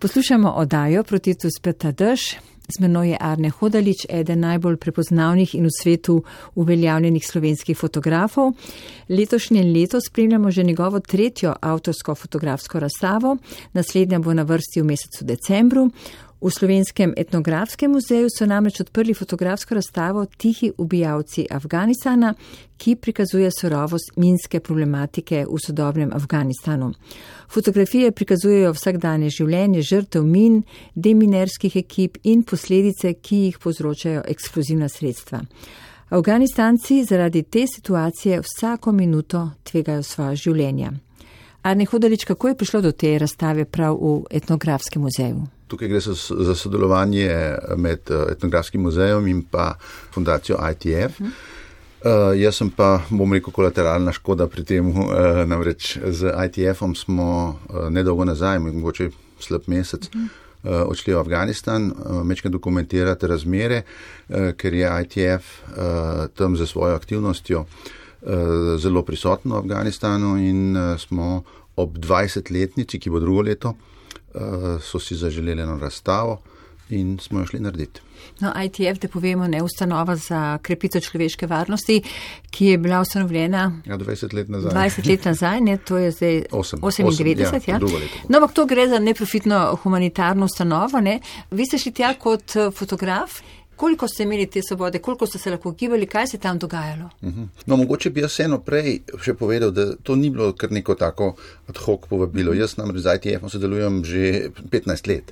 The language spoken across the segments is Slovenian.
Poslušamo oddajo Proti tu speta dež. Z menoj je Arne Hodalič, eden najbolj prepoznavnih in v svetu uveljavljenih slovenskih fotografov. Letošnje leto spremljamo že njegovo 3. avtorsko fotografsko razstavo. Naslednja bo na vrsti v mesecu decembru. V Slovenskem etnografskem muzeju so namreč odprli fotografsko razstavo Tihi ubijalci Afganistana, ki prikazuje surovost minske problematike v sodobnem Afganistanu. Fotografije prikazujejo vsakdanje življenje žrtev min, deminerskih ekip in posledice, ki jih povzročajo eksplozivna sredstva. Afganistanci zaradi te situacije vsako minuto tvegajo svoja življenja. Arne Hodalič, kako je prišlo do te razstave prav v etnografskem muzeju? Tukaj gre za sodelovanje med etnografskim muzejem in pa fundacijo ITF. Jaz sem pa, bom rekel, kolateralna škoda pri tem, namreč z ITF-om smo nedolgo nazaj, mogoče slab mesec, odšli v Afganistan, mečkaj dokumentirati razmere, ker je ITF tam za svojo aktivnostjo zelo prisotno v Afganistanu in smo ob 20-letnici, ki bo drugo leto, so si zaželeli eno razstavo in smo jo šli narediti. No, ITF, da povemo, ne, ustanova za krepitev človeške varnosti, ki je bila ustanovljena 20 let nazaj. 20 let nazaj, ne, to je zdaj 98, ja. No, ampak to gre za neprofitno humanitarno ustanovo, ne. Vi ste šli tja kot fotograf. Koliko ste imeli te svobode, koliko ste se lahko gibali, kaj se tam dogajalo? No, mogoče bi jaz eno prej še povedal, da to ni bilo kar neko tako ad hoc povabilo. Jaz namreč z ITF-om sodelujem že 15 let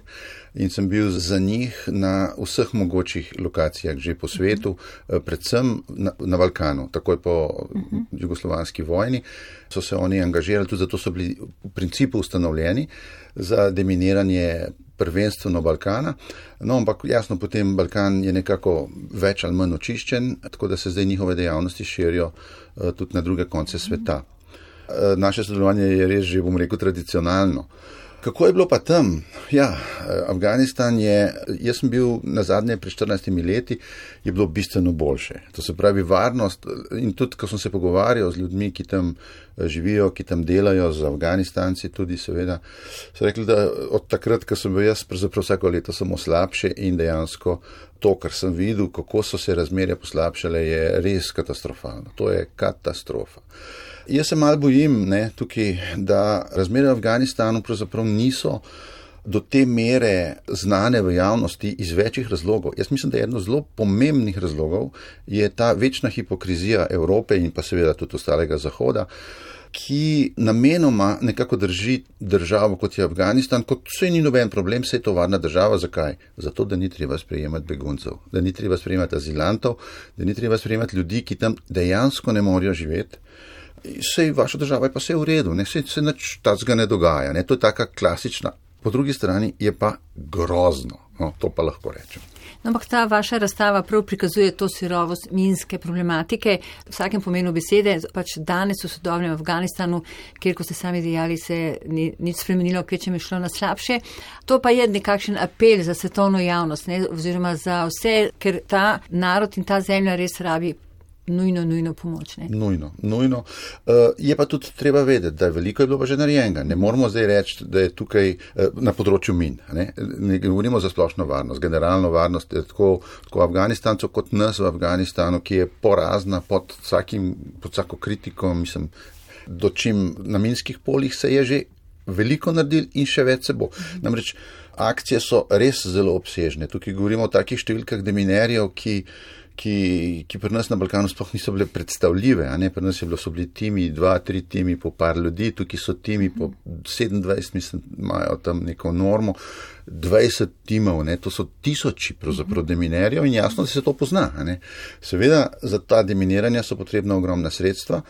in sem bil za njih na vseh mogočih lokacijah že po svetu, predvsem na Balkanu, takoj po jugoslovanski vojni. So se oni angažirali, tudi zato so bili v principu ustanovljeni za deminiranje prvenstveno Balkana. No, ampak jasno, potem Balkan je nekako več ali manj očiščen, tako da se zdaj njihove dejavnosti širijo tudi na druge konce sveta. Naše sodelovanje je res že, bom rekel, tradicionalno. Kako je bilo pa tam? Ja, Afganistan je, jaz sem bil nazadnje pred 14 leti, je bilo bistveno boljše. To se pravi varnost in tudi, ko sem se pogovarjal z ljudmi, ki tam živijo, ki tam delajo, z Afganistanci tudi seveda, so rekli, da od takrat, ko sem bil jaz, pravzaprav vsako leto samo slabše in dejansko to, kar sem videl, kako so se razmerja poslabšale, je res katastrofalno. To je katastrofa. Jaz se malo bojim, tukaj, da razmere v Afganistanu pravzaprav niso do te mere znane v javnosti iz večjih razlogov. Jaz mislim, da je eno zelo pomembnih razlogov je ta večna hipokrizija Evrope in pa seveda tudi ostalega Zahoda, ki namenoma nekako drži državo, kot je Afganistan, kot vse ni noben problem, vse je to varna država. Zakaj? Zato, da ni treba sprejemati beguncev, da ni treba sprejemati azilantov, da ni treba sprejemati ljudi, ki tam dejansko ne morejo živeti. Sej vaša država je pa vse v redu, se nič tacga ne dogaja, to je taka klasična. Po drugi strani je pa grozno, to pa lahko rečem. No, ampak ta vaša razstava prav prikazuje to surovost minske problematike, v vsakem pomenu besede, pač danes v sodobnem Afganistanu, kjer, ko ste sami dejali, se ni nič spremenilo, kjer je šlo na slabše. To pa je nekakšen apel za svetovno javnost, oziroma za vse, ker ta narod in ta zemlja res rabi nujno pomoč. Nujno. Je pa tudi treba vedeti, da veliko je bilo pa že narejenega. Ne moramo zdaj reči, da je tukaj na področju min. Ne govorimo za splošno varnost, generalno varnost, tako Afganistancev kot nas v Afganistanu, ki je porazna pod vsako kritiko, mislim, dočim na minskih poljih se je že veliko naredil in še več se bo. Namreč akcije so res zelo obsežne. Tukaj govorimo o takih številkah deminerjev, ki pri nas na Balkanu sploh niso bile predstavljive. Pri nas so bili timi, 2-3 timi po par ljudi, tukaj so timi po 27, mislim, imajo tam neko normo, 20 timov, to so tisoči pravzaprav deminerjev in jasno, da se to pozna. Seveda, za ta deminiranja so potrebna ogromna sredstva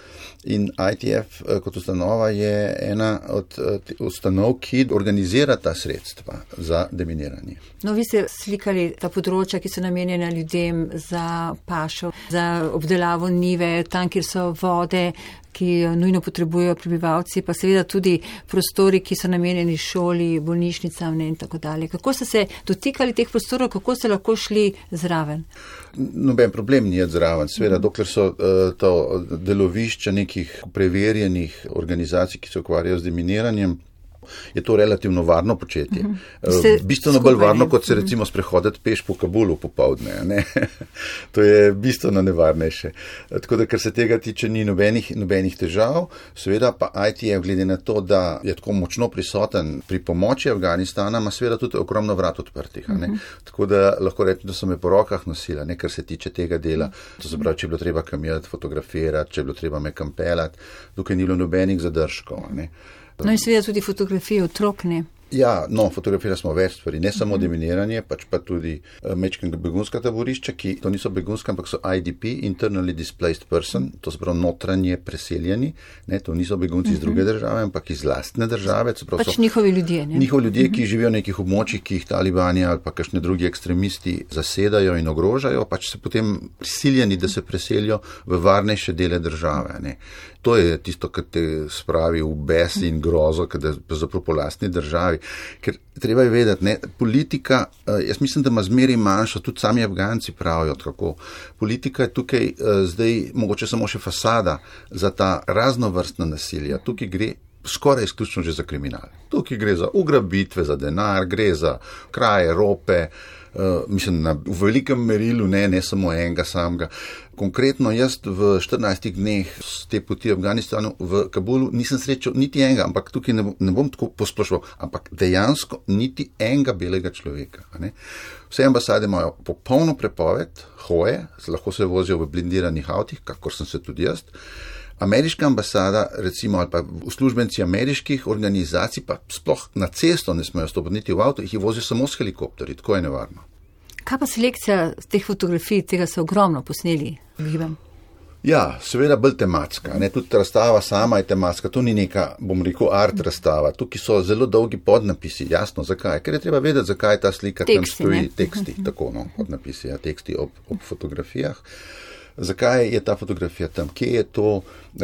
in ITF kot ustanova je ena od ustanov, ki organizira ta sredstva za deminiranje. No, vi ste slikali ta področja, ki so namenjena ljudem za pašo, za obdelavo njive, tam, kjer so vode, ki nujno potrebujejo prebivalci, pa seveda tudi prostori, ki so namenjeni šoli, bolnišnicam in tako dalje. Kako ste se dotikali teh prostorov, kako ste lahko šli zraven? Noben problem ni zraven, seveda, dokler so to delovišča nekih preverjenih organizacij, ki se ukvarjajo z deminiranjem, je to relativno varno početje. Bistveno bolj varno, kot se recimo sprehoditi peš po Kabulu popoldne. Ne? To je bistveno nevarnejše. Tako da, kar se tega tiče, ni nobenih težav. Seveda pa ITF, glede na to, da je tako močno prisoten pri pomoči Afganistana, ima seveda tudi ogromno vrat odprtih. Tako da lahko rečem, da so me po rokah nosila, ne, kar se tiče tega dela. To se pravi, če je bilo treba kamijati, fotografirati, če je bilo treba me kampelati, tukaj ni bilo nobenih zadržkov. Ne. No in seveda tudi fotografije otrok, ne? Ja, no, fotografirali smo več stvari, ne samo deminiranje, pač pa tudi mečkega begunska taborišča, ki to niso begunska, ampak so IDP, Internally Displaced Person, to se pravi notranje preseljeni, ne, to niso begunci iz druge države, ampak iz lastne države. Pač njihovi ljudje, ne? Njihovi ljudje, ki živijo v nekih območjih, ki jih talibani ali pa kakšni drugi ekstremisti zasedajo in ogrožajo, pač se potem prisiljeni, da se preselijo v varnejše dele države, ne. To je tisto, kar te spravi v bes in grozo, kada zapravo po lastni državi. Ker treba je vedeti, ne, politika, jaz mislim, da ima zmeri manjšo, tudi sami Afganci pravijo tako. Politika je tukaj zdaj mogoče samo še fasada za ta raznovrstna nasilja. Tukaj gre skoraj izključno že za kriminal. Tukaj gre za ugrabitve, za denar, gre za kraje, rope, mislim, v velikem merilu, ne samo enega samega. Konkretno jaz v 14 dneh z te poti v Afganistanu v Kabulu nisem srečal niti enega, ampak tukaj ne bom tako posplošal, ampak dejansko niti enega belega človeka. Ne. Vse ambasade imajo popolno prepoved hoje, lahko se vozijo v blindiranih avtih, kakor sem se tudi jaz. Ameriška ambasada, recimo, ali pa uslužbenci ameriških organizacij, pa sploh na cesto ne smejo stopiti niti v avto, jih vozijo samo s helikopterji, tako je nevarno. Kaj pa selekcija teh fotografij, tega so ogromno posneli, gibam? Ja, seveda bolj tematska, ne, tudi razstava sama je tematska, to ni neka, bom rekel, art razstava, tukaj so zelo dolgi podnapisi, jasno, zakaj, ker je treba vedeti, zakaj ta slika tam stoji, teksti, tako, no, podnapisi, ja, teksti ob fotografijah. Zakaj je ta fotografija tam, kje je to,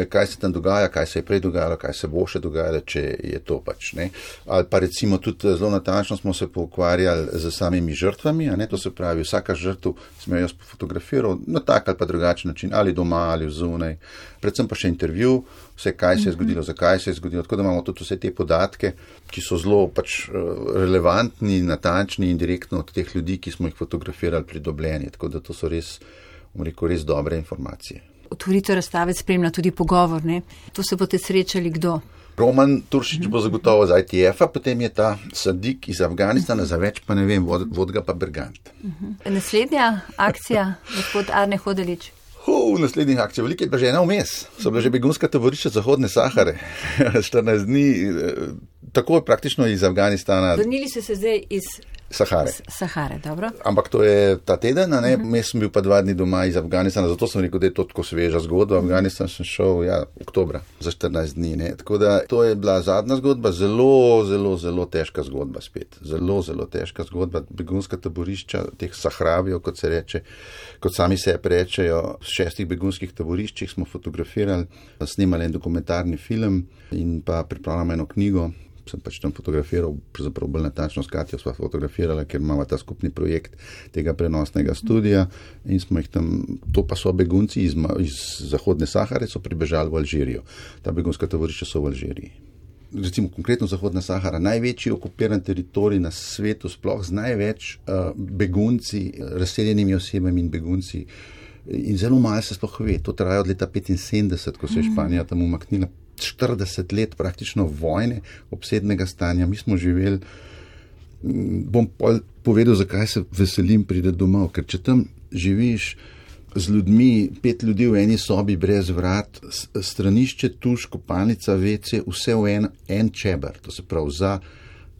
kaj se tam dogaja, kaj se je prej dogajalo, kaj se bo še dogajalo, če je to pač, ne. Ali pa recimo tudi zelo natančno smo se pokvarjali z samimi žrtvami, a ne, to se pravi, vsaka žrtev sem jo jaz fotografiral na tak ali pa drugačen način, ali doma, ali zunaj, predvsem pa še intervju, vse kaj se je zgodilo, zakaj se je zgodilo, tako da imamo tudi vse te podatke, ki so zelo pač relevantni, natančni in direktno od teh ljudi, ki smo jih fotografirali, pridobljeni, tako da to so res dobre informacije. Otvoritev razstave spremlja tudi pogovor, ne? To se boste srečali kdo? Roman Turšič bo zagotovo z ITF-a, potem je ta Sadik iz Afganistana, za več pa ne vem, Vodga pa Bergant. Naslednja akcija, gospod Arne Hodalič? Naslednjih akcij, veliko je pa že ena vmes. So bila že begunska taborišča Zahodne Sahare. 14 dni, tako je praktično iz Afganistana. Vrnili ste se zdaj iz Sahare, dobro. Ampak to je ta teden, ne? Jaz sem bil pa 2 dni doma iz Afganistana, zato sem rekel, da je to tako sveža zgodba. V Afganistan sem šel, oktobra, za 14 dni, ne? Tako da to je bila zadnja zgodba, zelo težka zgodba spet. Zelo težka zgodba, begunska taborišča, teh Sahravijev, kot se reče, kot sami se rečejo, v 6 begunskih taboriščih smo fotografirali, snimali en dokumentarni film in pa pripravljamo eno knjigo. Sem pač tam fotografiral, pravzaprav bolj natančno s Katjo sva fotografirala, ker imamo ta skupni projekt tega prenosnega studija in smo jih tam, to pa so begunci iz Zahodne Sahare, so pribežali v Alžirijo. Ta begunska taborišča so v Alžiriji. Recimo konkretno Zahodna Sahara, največji okupiran teritorij na svetu, sploh z največ begunci, razseljenimi osebami in begunci. In zelo malo se sploh ve, to traja od leta 1975, ko se je Španija tam umaknila. 40 let praktično vojne, obsednega stanja. Mi smo živeli, bom povedal, zakaj se veselim priti domov, ker če tam živiš z ljudmi, 5 ljudi v eni sobi brez vrat, stranišče, tuš, kopalnica, WC, vse v en čeber, to se pravi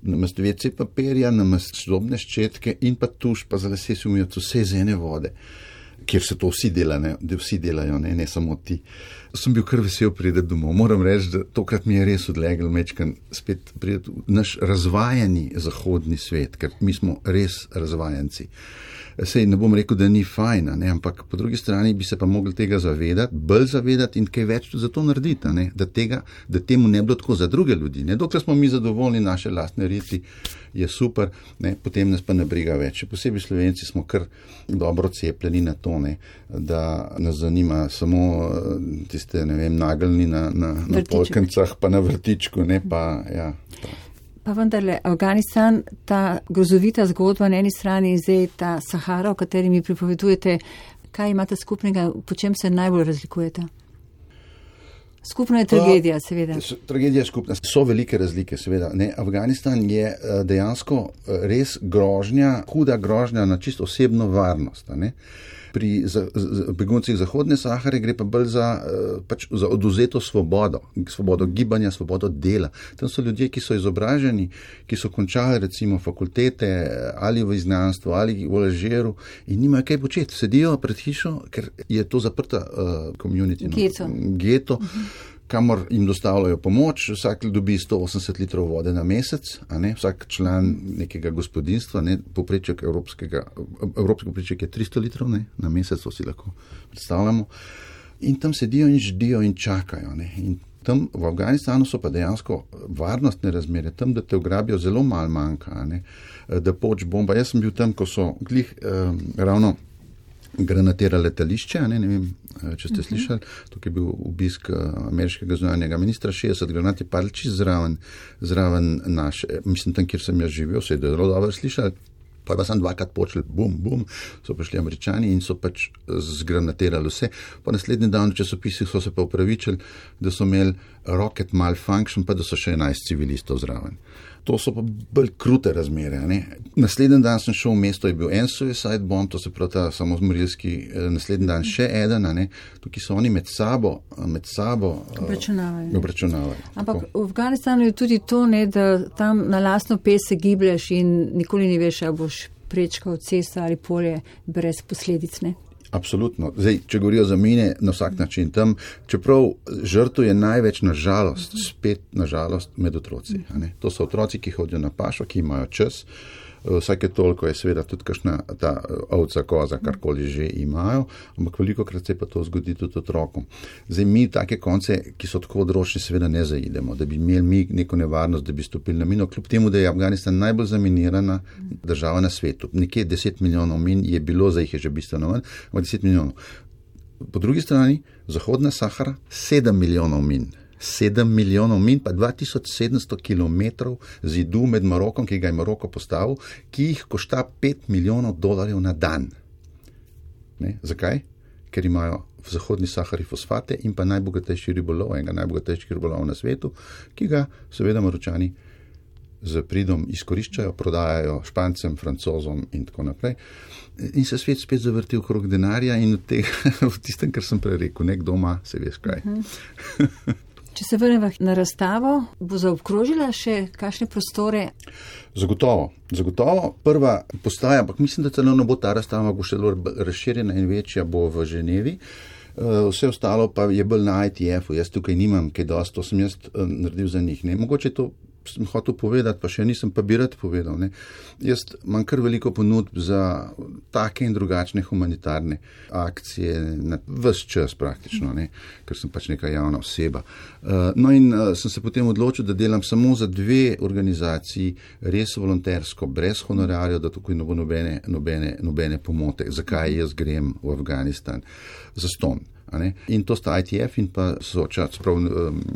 namesto WC papirja, namesto zobne ščetke in pa tuš, pa za lase si umijo, vse iz ene vode, kjer se to vsi delajo, ne samo ti. Sem bil kar vesel priti domov. Moram reči, da tokrat mi je res odlegel mečkan spet priti v naš razvajani zahodni svet, ker mi smo res razvajanci. Sej ne bom rekel, da ni fajna, ne, ampak po drugi strani bi se pa mogli tega zavedati, bolj zavedati in kaj več za to narediti, ne, da temu ne bilo tako za druge ljudi. Ne. Dokler smo mi zadovoljni, naše lastne riti je super, ne, potem nas pa ne briga več. Posebej Slovenci smo kar dobro cepljeni na to, ne, da nas zanima samo tiste, ne vem, nageljni na polkencah, pa na vrtičku, ne, pa ja. Pa vendarle, Afganistan, ta grozovita zgodba na eni strani in zdaj ta Sahara, o kateri mi pripovedujete, kaj imate skupnega, po čem se najbolj razlikujete? Skupna je tragedija, seveda. Tragedija je skupna. So velike razlike, seveda. Afganistan je dejansko res grožnja, huda grožnja na čisto osebno varnost. Pri beguncih Zahodne Sahare gre pa bolj za oduzeto svobodo gibanja, svobodo dela. Tam so ljudje, ki so izobraženi, ki so končali recimo fakultete ali v izgnanstvu ali v Alžiru in nimajo kaj početi. Sedijo pred hišo, ker je to zaprta community, geto, kamor jim dostavljajo pomoč, vsak dobi 180 litrov vode na mesec, vsak član nekega gospodinstva, povpreček evropski povpreček je 300 litrov na mesec, to si lahko predstavljamo. In tam sedijo in ždijo in čakajo. In tam v Afganistanu so pa dejansko varnostne razmere, tam, da te ugrabijo, zelo malo manjka, da poč bomba. Jaz sem bil tam, ko so ravno granatira letališče, ne vem, če ste slišali, tukaj je bil obisk ameriškega zunanjega ministra, 60 granat je padlo čisto zraven naše, mislim tam, kjer sem jaz živel, se je zelo dobro slišali, pa sem dvakrat počeli, bum, bum, so prišli Američani in so pač zgranatirali vse. Po naslednji dan v časopisih so se pa upravičili, da so imeli rocket malfunction, pa da so še 11 civilistov zraven. To so pa bolj krute razmere. Naslednji dan sem šel v mesto, je bil en suicide bomb, to se pravi ta samozmorilski, naslednji dan še eden, tukaj so oni med sabo obračunavajo. Ampak v Afganistanu je tudi to, da tam na lastno pes se giblješ in nikoli ne veš, ali boš prečkal cesto ali polje brez posledic, ne? Absolutno. Zdaj, če govorijo za mine, na vsak način tam, čeprav žrtev je največ nažalost med otroci. To so otroci, ki hodijo na pašo, ki imajo čas. Vsake toliko je seveda tudi kakšna ta ovca, koza, karkoli že imajo, ampak velikokrat se pa to zgodi tudi otrokom. Zdaj mi take konce, ki so tako odročni, seveda ne zaidemo, da bi imeli mi neko nevarnost, da bi stopili na mino, kljub temu, da je Afganistan najbolj zaminirana država na svetu. Nekje 10 milijonov min je bilo, zdaj jih je že bistveno manj, ampak 10 milijonov. Po drugi strani, Zahodna Sahara, 7 milijonov min. 7 milijonov min, pa 2700 kilometrov zidu med Marokom, ki ga je Maroko postavil, ki jih košta $5 milijonov na dan. Zakaj? Ker imajo v Zahodni Sahari fosfate in pa najbogatejši ribolov, enega najbogatejših ribolov na svetu, ki ga seveda Maročani z pridom izkoriščajo, prodajajo Špancem, Francozom in tako naprej. In se svet spet zavrti okrog denarja in v tistem, kar sem prej rekel, nekdo ima, se veš kaj. Če se vrnemo na razstavo, bo zaobkrožila še kakšne prostore? Zagotovo. Prva postaja, ampak mislim, da celo ne bo ta razstava, bo še razširjena in večja, bo v Ženevi. Vse ostalo pa je bolj na ITF-u. Jaz tukaj nimam kaj dosti, to sem jaz naredil za njih. Mogoče to sem hotel povedati, pa še nisem, pa bi rad povedal. Jaz imam kar veliko ponudb za take in drugačne humanitarne akcije na ves čas praktično, ker sem pač neka javna oseba. Sem se potem odločil, da delam samo za 2 organizaciji, res volontersko, brez honorarjev, da tukaj ne bo nobene pomote. Zakaj jaz grem v Afganistan? Zastonj. In to sta ITF in pa Soča,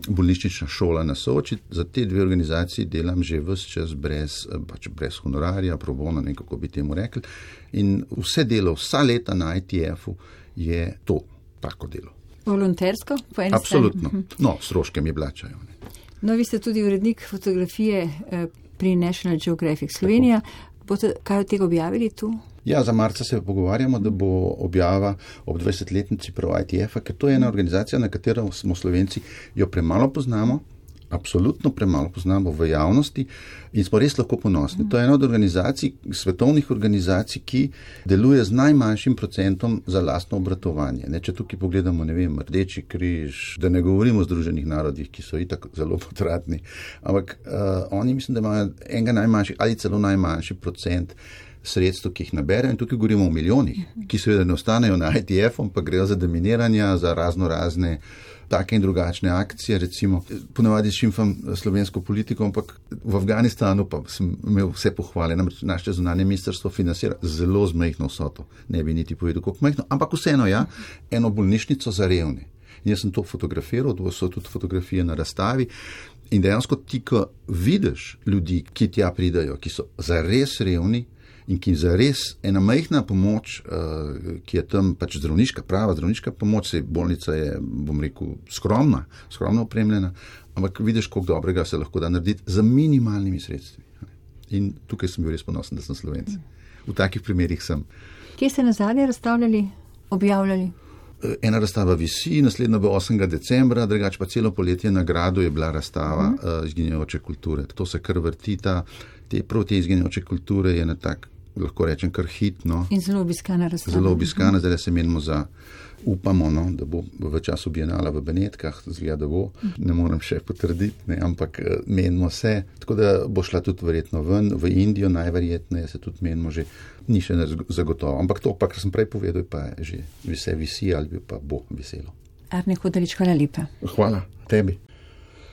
bolnišnična šola na Soči. Za te 2 organizaciji delam že ves čas brez honorarja, pro bono, nekako bi temu rekli. In vse delo, vsa leta na ITF-u je to, tako delo. Volontersko? Po eni Absolutno. strani? No, stroške mi plačajo. Vi ste tudi urednik fotografije pri National Geographic Slovenija. Boste kaj od tega objavili tu? Ja, za marca se pogovarjamo, da bo objava ob 20-letnici prav ITF-a, ker to je ena organizacija, na katero smo Slovenci jo premalo poznamo, absolutno premalo poznamo v javnosti in smo res lahko ponosni. To je ena od organizacij, svetovnih organizacij, ki deluje z najmanjšim procentom za lastno obratovanje. Če tukaj pogledamo, Rdeči križ, da ne govorimo o Združenih narodih, ki so itak zelo potratni, ampak oni mislim, da imajo enega najmanjših ali celo najmanjši procent sredstev, ki jih naberajo, in tukaj govorimo o milijonih, ki seveda ne ostanejo na ITF-om, pa grejo za deminiranja, za razne take in drugačne akcije, recimo, ponavadi šimfam slovensko politiko, ampak v Afganistanu pa sem imel vse pohvale, namreč naše zunanje ministrstvo financira zelo zmehno vsoto, ne bi niti povedal, koliko mehno, ampak vseeno eno bolnišnico za revne. In jaz sem to fotografiral, to so tudi fotografije na razstavi In dejansko ti, ko vidiš ljudi, ki tja pridajo, ki so zares revni in ki zares ena majhna pomoč, ki je tam pač prava zdravniška pomoč, se bolnica je, bom rekel, skromno opremljena, ampak vidiš, koliko dobrega se lahko da narediti za minimalnimi sredstvi. In tukaj sem bil res ponosen, da sem Slovenc. V takih primerih sem. Kje ste nazadnje razstavljali, objavljali? Ena razstava visi, naslednja bo 8. decembra, drugače pa celo poletje na Gradu je bila razstava izginjajoče kulture. To se kar vrti, prav te izginjajoče kulture je na tak, lahko rečem, kar hitno. In zelo obiskana razstava. Zelo obiskana, zdaj se menimo upamo, da bo v času Bienala v Benetkah, zgleda, da bo, ne moram še potrditi, ampak menimo se, tako da bo šla tudi verjetno ven, v Indijo najverjetneje se tudi menimo že, ni še zagotovo, ampak to pa, kar sem prej povedal, pa že vse visi ali pa bo veselo. Arne Hodalič, hvala lepa. Hvala tebi.